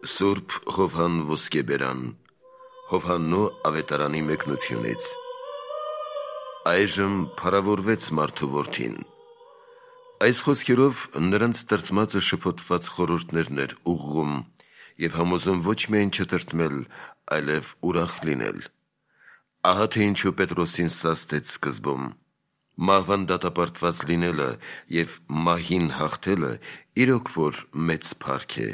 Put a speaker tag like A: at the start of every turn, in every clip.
A: Սուրբ Հովհան Ոսկեբերան, Հովհաննու ավետարանի մեկնությունից։ Այժմ փառավորվեց մարդու որդին։ Այս խոսքերով նրանց տրտմածը շփոթված խորհուրդներն էր ուղղում և համոզում ոչ միայն չտրտմել, այլև ուրախ լինել։ Ահա թե ինչու Պետրոսին սաստեց սկզբում։ Մահվան դատապարտված լինելը և մահին հաղթելը իրոք որ մեծ փառք է,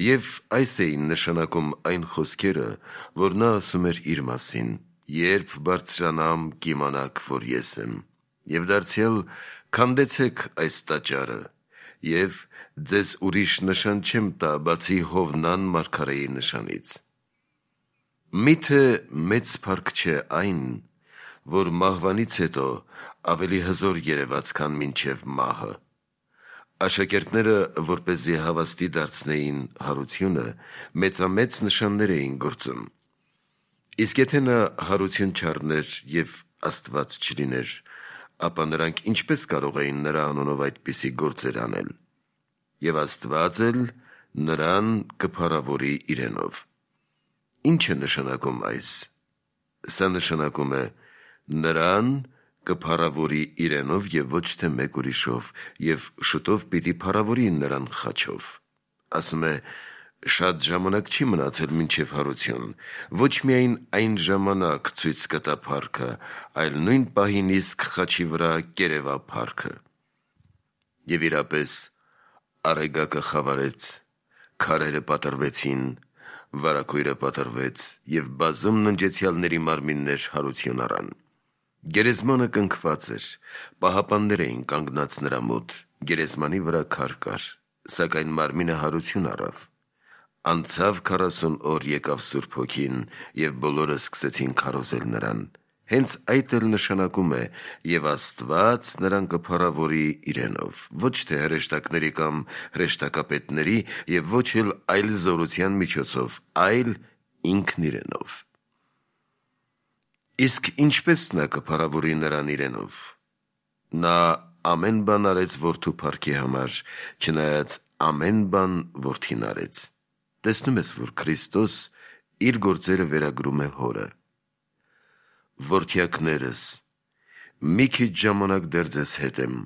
A: և այս էին նշանակում այն խոսքերը, որ նա ասում էր իր մասին. «Երբ բարձրանամ, կիմանաք, որ ես եմ, և դարձյալ քանդեցեք այս տաճարը, և ձեզ ուրիշ նշան չեմ տա, բացի Հովնան մարգարեի նշանից»։ Մի՞թե մեծ փառք չէ այն, որ մահվանից հետո ավելի հզոր երևաց, քան մինչև մահը։ Աշակերտները, որպեսզի հավաստի դարձնեին հարությունը, մեծամեծ նշաններ էին գործում։ Իսկ եթե նա հարություն չառներ և Աստված չլիներ, ապա նրանք ինչպե՞ս կարող էին նրա անունով այդպիսի գործեր անել։ Եվ Աստված էլ նրան կփառավորի իրենով։ Ի՞նչ է նշանակում այս։ Սա նշանակում է նրան կփառավորի իրենով և ոչ թե մեկ ուրիշով, և շուտով պիտի փառավորի նրան խաչով։ Ասում է. շատ ժամանակ չի մնացել մինչև հարություն, ոչ միայն այն ժամանակ ցույց կտա փառքը, այլ նույն պահին իսկ խաչի վրա կերևա փառքը։ Եվ իրապես Արեգակը խավարեց, քարերը պատռվեցին, վարագույրը պատռվեց, և բազում ննջեցյալների մարմիններ հարություն առան։ Գերեզմանը կնքված էր, պահապաններ էին կանգնած նրա մոտ, գերեզմանի վրա քար կար, սակայն մարմինը հարություն առավ։ Անցավ 40 օր, եկավ Սուրբ Հոգին, և բոլորը սկսեցին քարոզել նրան։ Հենց այդ էլ նշանակում է «և Աստված նրան կփառավորի իրենով», ոչ թե հրեշտակների կամ հրեշտակապետների և ոչ էլ այլ զորության միջոցով, այլ ինքն իրենով։ Իսկ ինչպե՞ս նա կփառավորի նրան իրենով։ Նա ամեն բան արեց որդու փառքի համար, չնայած ամեն բան որդին արեց։ Տեսնում ես, որ Քրիստոս իր գործերը վերագրում է հորը։ Որդյակներս, մի քիչ ժամանակ դեռ ձեզ հետ եմ,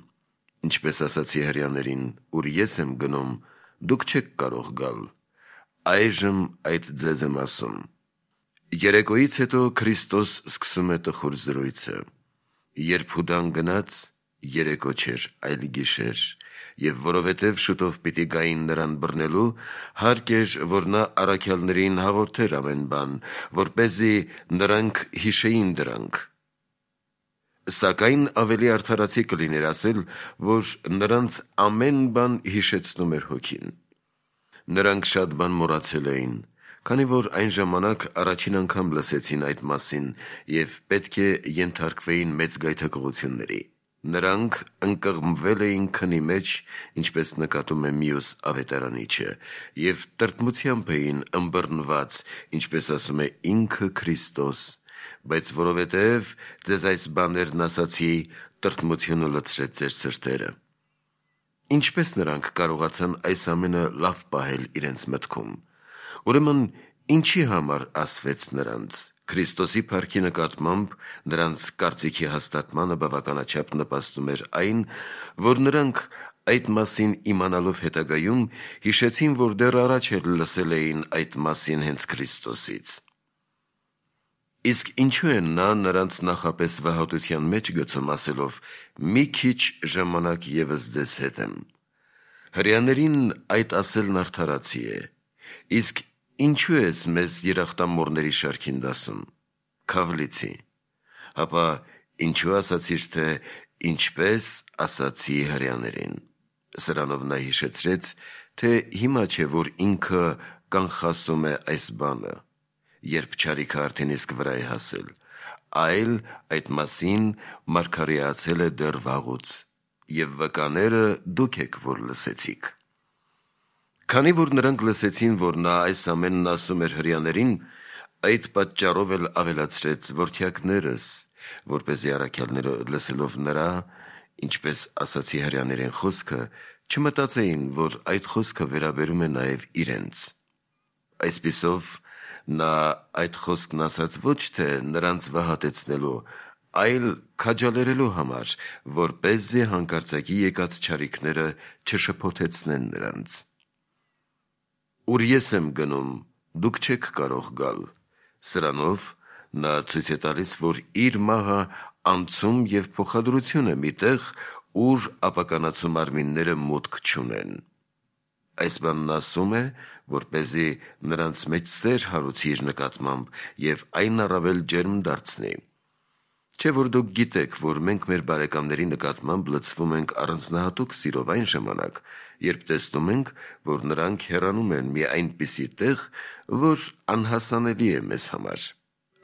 A: ինչպես ասացի հրեաներին, ուր ես եմ գնում, դուք չեք կարող գալ, այժմ այդ ձեզ եմ ասում։ Երեկոյից հետո Քրիստոս սկսում է տխուր զրույցը. երբ Հուդան գնաց, երեկո չէր, այլ գիշեր, և որովհետև շուտով պիտի գային նրան բռնելու, հարկ էր, որ նա առաքյալներին հաղորդեր ամեն բան, որպեսզի նրանք հիշեին դրանք։ Սակայն ավելի արդարացի կլիներ ասել, որ նրանց ամեն բան հիշեցնում էր Հոգին։ Նրանք շատ բան մոռացել էին, քանի որ այն ժամանակ առաջին անգամ լսեցին այդ մասին և պետք է ենթարկվեին մեծ գայթակղությունների։ Նրանք ընկղմվել էին քնի մեջ, ինչպես նկատում է մյուս ավետարանիչը, և տրտմությամբ էին ըմբռնված, ինչպես ասում է ինքը Քրիստոս, բայց որովհետև ձեզ այս բաներն ասացի, տրտմությունը լցրեց ձեր սրտերը։ Ինչպե՞ս նրանք կարողացան այս ամենը լավ պահել իրենց մտքում։ Ուրեմն ինչի համար ասվեց նրանց։ Քրիստոսի փառքի նկատմամբ նրանց կարծիքի հաստատմանը բավականաչափ նպաստում էր այն, որ նրանք այդ մասին իմանալով հետագայում հիշեցին, որ դեռ առաջ էլ լսել էին այդ մասին հենց Քրիստոսից։ Իսկ ինչու է նա նրանց նախապես վհատության մեջ գցում, ասելով. «Մի քիչ ժամանակ ևս ձեզ հետ եմ»։ Հրեաներին այդ ասելն արդարացի է։ Իսկ ինչու ես մեզ երախտամոռների շարքին դասում։ Քավլիցի։ Հապա ինչու ասացիր, թե ինչպես ասացի հրեաներին։ Սրանով նա հիշեցրեց, թե հիմա չէ, որ ինքը կանխասում է այս բանը, երբ չարիքը արդեն իսկ վրա է հասել, այլ այդ մասին մարգարեացել է դեռ վաղուց, և վկաները դուք եք, որ լսեցիք։ Քանի որ նրանք լսեցին, որ նա այս ամենն ասում էր հրեաներին, այդ պատճառով էլ ավելացրեց. «Որդյակներս», որպեսզի առաքյալները լսելով նրա, ինչպես ասացի հրեաներին խոսքը, չմտածեին, որ այդ խոսքը վերաբերում է նաև իրենց։ Այսպիսով նա այդ խոսքն ասաց ոչ թե նրանց վհատեցնելու, այլ քաջալերելու համար, որպեսզի հանկարծակի եկած չարիքները չշփոթեցնեն նրանց։ Ուր ես եմ գնում, դուք չեք կարող գալ։ Սրանով նա ցույց է տալիս, որ իր մահը անցում և փոխադրություն է մի տեղ, ուր ապականացու մարմինները մուտք չունեն։ Այս բանն ասում է, որպեսզի նրանց մեջ սեր հարուցի իր նկատմամբ և այն առավել ջերմ դարձնի։ Չէ՞ որ դուք գիտեք, որ մենք մեր բարեկամների նկատմամբ լցվում ենք առանձնահատուկ սիրով այն ժամանակ, երբ տեսնում ենք, որ նրանք հեռանում են մի այնպիսի տեղ, որ անհասանելի է մեզ համար։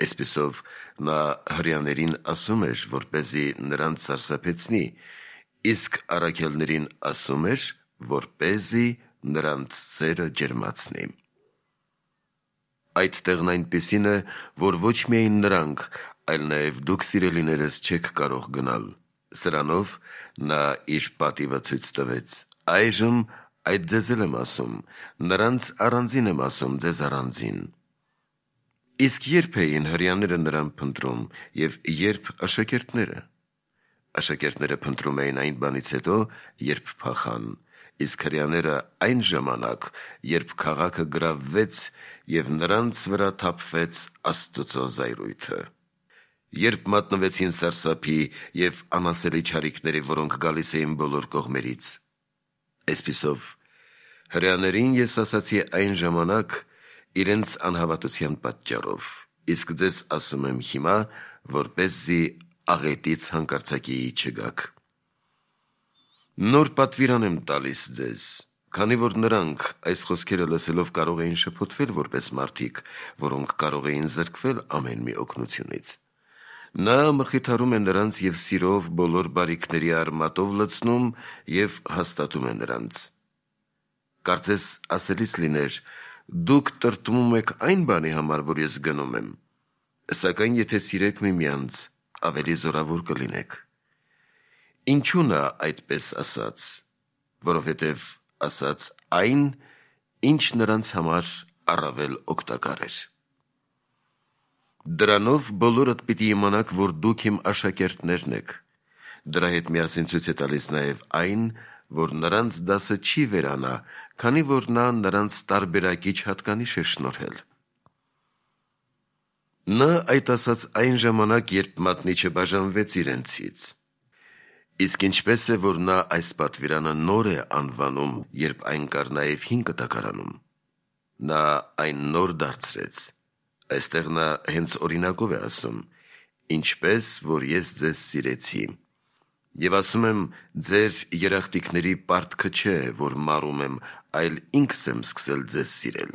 A: Այսպիսով նա հրեաներին ասում էր, որպեսզի նրանց սարսափեցնի, իսկ առաքյալներին ասում էր, որպեսզի նրանց սերը ջերմացնի։ Այդ տեղն այնպիսին է, որ ոչ միայն նրանք, այլ նաև դուք սիրելիներս չեք կարող գնալ։ Սրանով նա իր պատիվը ցույց տվեց։ Այժմ այդ ձեզ էլ եմ ասում, նրանց առանձին եմ ասում, ձեզ առանձին։ Իսկ երբ էին հրեաները նրան փնտրում և երբ աշակերտները։ Աշակերտները փնտրում էին այն բանից հետո, երբ փախան, իսկ հրեաները այն ժամանակ, երբ քաղաքը գրավվեց և նրանց վրա թափվեց Աստծո զայրույթը։ Երբ մատնվեցին սարսափի և անասելի չարիքների, որոնք գալիս էին բոլոր կողմերից։ Այսպիսով հրեաներին ես ասացի այն ժամանակ իրենց անհավատության պատճառով, իսկ ձեզ ասում եմ հիմա, որպեսզի աղետից հանկարծակիի չգաք։ Նոր պատվիրան եմ տալիս ձեզ, քանի որ նրանք այս խոսքերը լսելով կարող էին շփոթվել որպես մարդիկ, որոնք կարող էին զրկվել ամեն մի օգնությունից։ Նա մխիթարում է նրանց և սիրով բոլոր բարիքների արմատով լցնում և հաստատում է նրանց։ Կարծես ասելիս լիներ. դուք տրտմում եք այն բանի համար, որ ես գնում եմ, սակայն եթե սիրեք միմյանց, ավելի զորավոր կլինեք։ Ինչու նա այդպես ասաց, որովհետև ասաց այն, ինչ նրանց համար առավել օգտակար էր։ Դրանով բոլորդ պիտի իմանաք, որ դուք իմ աշակերտներն եք։ Դրա հետ միասին ցույց է տալիս նաև այն, որ նրանց դասը չի վերանա, քանի որ նա նրանց տարբերակիչ հատկանիշ է շնորհել։ Նա այդ ասաց այն ժամանակ, երբ մատնիչը բաժանվեց իրենցից։ Իսկ ինչպես է, որ նա այս պատվիրանը նոր է անվանում, երբ այն կար նաև հին կտակարանում։ Նա այն նոր դարձրեց։ Այստեղ նա հենց օրինակով է ասում. ինչպես որ ես ձեզ սիրեցի։ Եվ ասում եմ, ձեր երախտիկների պարտքը չէ, որ մարում եմ, այլ ինքս եմ սկսել ձեզ սիրել։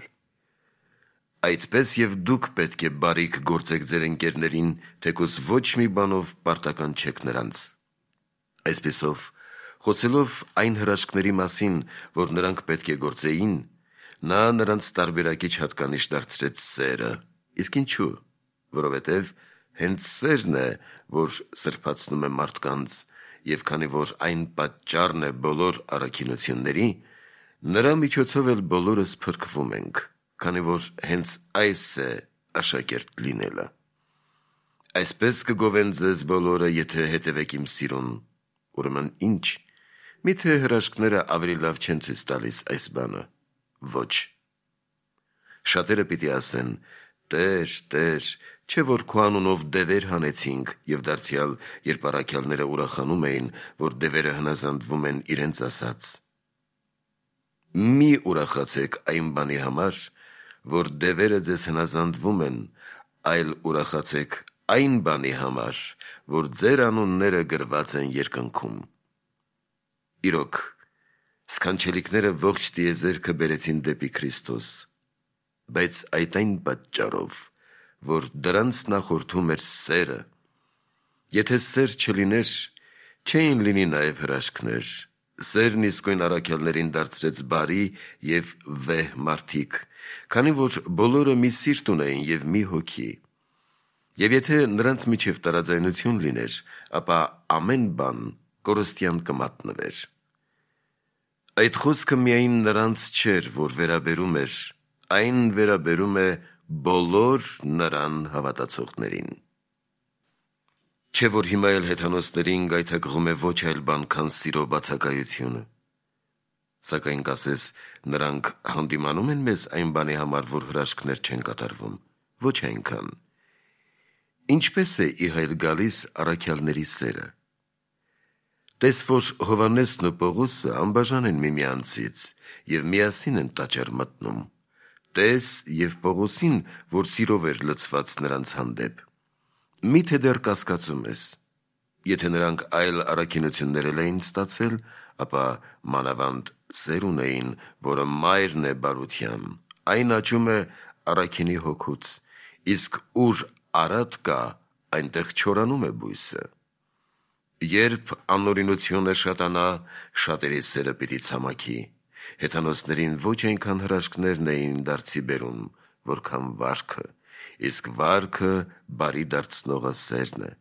A: Այդպես և դուք պետք է բարիք գործեք ձեր ընկերներին, թեկուզ ոչ մի բանով պարտական չեք նրանց։ Այսպիսով, խոսելով այն հրաշքների մասին, որ նրանք պետք է գործեին, նա նրանց տարբերակիչ հատկանիշ դարձրեց սերը։ Իսկ ինչու՞։ Որովհետև հենց սերն է, որ սրբացնում է մարդկանց, և քանի որ այն պատճառն է բոլոր առաքինությունների, նրա միջոցով էլ բոլորս փրկվում ենք, քանի որ հենց այս է աշակերտ լինելը։ Այսպես կգովեն ձեզ բոլորը, եթե հետևեք իմ սիրուն։ Ուրեմն ինչ, միթե հրաշքները ավելի լավ չեն ցույց տալիս այս բանը։ Ոչ։ Շատերը պիտի ասեն. Տեր, Տեր, չէ՞ որ քո անունով դևեր հանեցինք, և դարձյալ, երբ առաքյալները ուրախանում էին, որ դևերը հնազանդվում են իրենց ասած։ Մի ուրախացեք այն բանի համար, որ դևերը ձեզ հնազանդվում են, այլ ուրախացեք այն բանի համար, որ ձեր անունները գրված են երկնքում։ Իրոք, սքանչելիքները ողջ տիեզերքը բերեցին դեպի Քրիստոս, բայց այդ այն պատճառով, որ դրանց նախորդում էր սերը։ Եթե սեր չլիներ, չէին լինի նաև հրաշքներ։ Սերն իսկույն առաքյալներին դարձրեց բարի և վեհ մարդիկ, քանի որ բոլորը մի սիրտ ունեին և մի հոգի։ Եվ եթե նրանց միջև տարաձայնություն լիներ, ապա ամեն բան կորստյան կմատնվեր։ Այդ խոսքը միայն նրանց չէր, որ վերաբերում էր, այն վերաբերում է բոլոր նրան հավատացողներին։ Չէ՞ որ հիմա էլ հեթանոսներին գայթակղում է ոչ այլ բան, քան սիրո բացակայությունը։ Սակայն կասես, նրանք հանդիմանում են մեզ այն բանի համար, որ հրաշքներ չեն կատարվում։ Ոչ այնքան։ Ինչպես է ի հայտ գալիս առաքյալների սերը։ Տես, որ Հովհաննեսն ու Պողոսը անբաժան են միմյանցից և միասին են տաճար մտնում։ Տես և Պողոսին, որ սիրով էր լցված նրանց հանդեպ։ Միթե դեռ կասկածում ես։ Եթե նրանք այլ առաքինություններ էին ստացել, ապա մանավանդ սեր ունեին, որը մայրն է բարության, այն աճում է առաքինի հոգուց, իսկ ուր արատ կա, այնտեղ չորանում է բույսը։ Երբ անօրինությունը շատանա, շատերի սերը պիտի ցամաքի։ Հեթանոսներին ոչ այնքան հրաշքներն էին դարձի բերում, որքան վարքը, իսկ վարքը բարի դարձնողը սերն է։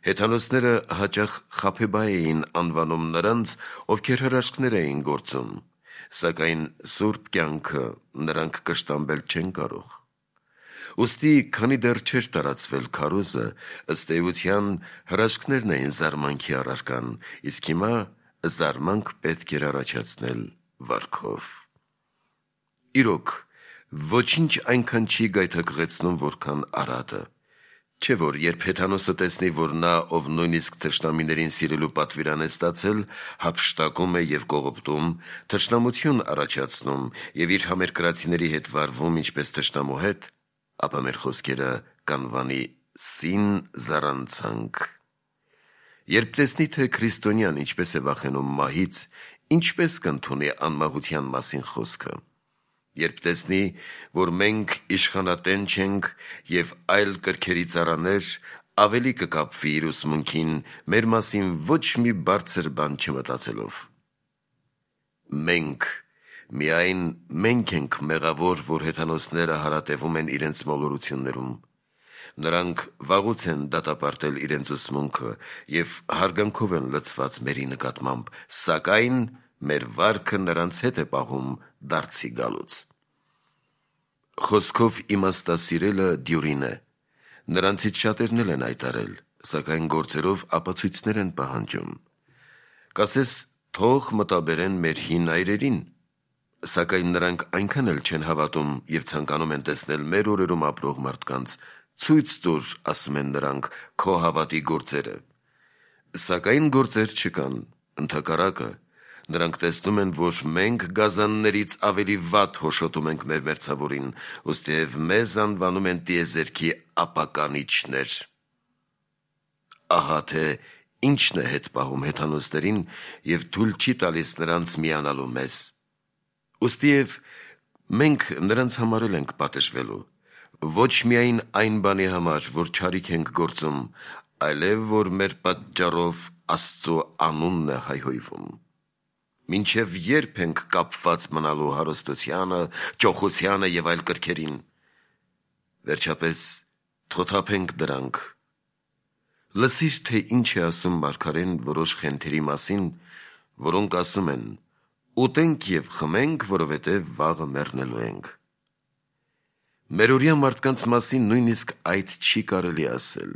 A: Հեթանոսները հաճախ Խաբեբա էին անվանում նրանց, ովքեր հրաշքներ էին գործում, սակայն սուրբ կյանքը նրանք կշտամբել չեն կարող։ Ուստի, քանի դեռ չէր տարածվել քարոզը, ըստ էության հրաշքներն էին զարմանքի առարկան, իսկ հիմա զարմանք պետք էր առաջացնել վարքով։ Իրոք, ոչինչ այնքան չի գայթակղեցնում, որքան արատը։ Չէ՞ որ երբ Հեթանոսը տեսնի, որ նա, ով նույնիսկ թշնամիներին սիրելու պատվիրան է ստացել, հափշտակում է և կողոպտում, թշնամություն առաջացնում և իր համերկրացիների հետ վարվում ինչպես թշնամու հետ, ապա մեր խոսքերը կանվանի սին զառանցանք։ Երբ տեսնի, թե քրիստոնյան ինչպես է վախենում մահից, ինչպես կընդունի անմահության մասին խոսքը։ Երբ տեսնի, որ մենք իշխանատեն չենք և այլ կրքերի ծառաներ, ավելի կկապվի իր ուսմունքին, մեր մասին ոչ մի բարձր բան չմտածելով։ Մենք, միայն մենք ենք մեղավոր, որ հեթանոսները հարատևում են իրենց մոլորություններում։ Նրանք վաղուց են դատապարտել իրենց ուսմունքը և հարգանքով են լցված մերի նկատմամբ, սակայն մեր վարքը նրանց հետ է պահում դարձի գալուց։ Խոսքով իմաստասիրելը դյուրին է։ Նրանցից շատերն էլ են այդ արել, սակայն գործերով ապացույցներ են պահանջում։ Կասես, թող մտաբերեն մեր հին այրերին, սակայն նրանք այնքան էլ չեն հավատում և ցանկանում են տեսնել մեր օրերում ապրող մարդկանց, ցույց տուր, ասում են նրանք, քո հավատի գործերը։ Սակայն գործեր չկան, ընդհակառակը, նրանք տեսնում են, որ մենք գազաններից ավելի վատ հոշոտում ենք մեր մերձավորին, ուստիև մեզ անվանում են տիեզերքի ապականիչներ։ Ահա թե ինչն է հետ պահում հեթանոսներին և թույլ չի տալիս նրանց միանալու մեզ։ Ուստիև մենք նրանց համար էլ ենք պատժվելու, ոչ միայն այն բանի համար, որ չարիք ենք գործում, այլև որ մեր պատճառով Աստծո անունն է հայհոյվում։ Մինչև երբ ենք կապված մնալու հարստությանը, ճոխությանը և այլ կրքերին։ Վերջապես թոթափենք դրանք։ Լսիր, թե ինչ է ասում մարգարեն որոշ խենթերի մասին, որոնք ասում են. «Ուտենք և խմենք, որովհետև վաղը մեռնելու ենք»։ Մերօրյա մարդկանց մասին նույնիսկ այդ չի կարելի ասել։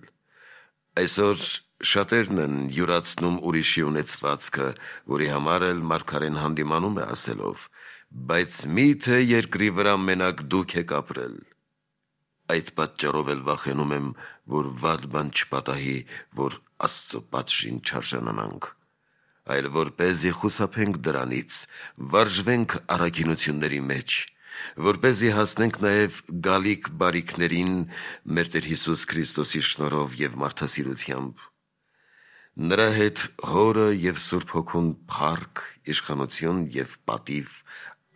A: Այսօր շատերն են յուրացնում ուրիշի ունեցվածքը, որի համար էլ մարգարեն հանդիմանում է ասելով. «Բայց միթե երկրի վրա մենակ դուք եք ապրել»։ Այդ պատճառով էլ վախենում եմ, որ վատ բան չպատահի, որ Աստծո պատժին չարժանանանք, այլ որպեսզի խուսափենք դրանից, վարժվենք առաքինությունների մեջ, որպեսզի հասնենք նաև գալիք բարիքներին մեր Տեր Հիսուս Քրիստոսի շնորհով և մարդասիրությամբ։ Նրա հետ Հորը և Սուրբ Հոգուն փառք, իշխանություն և պատիվ,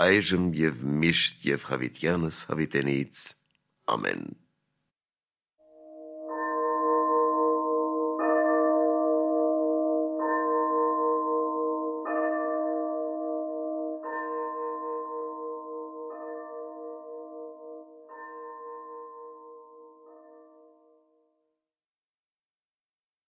A: այժմ և միշտ և հավիտյանս հավիտենից։ Ամեն։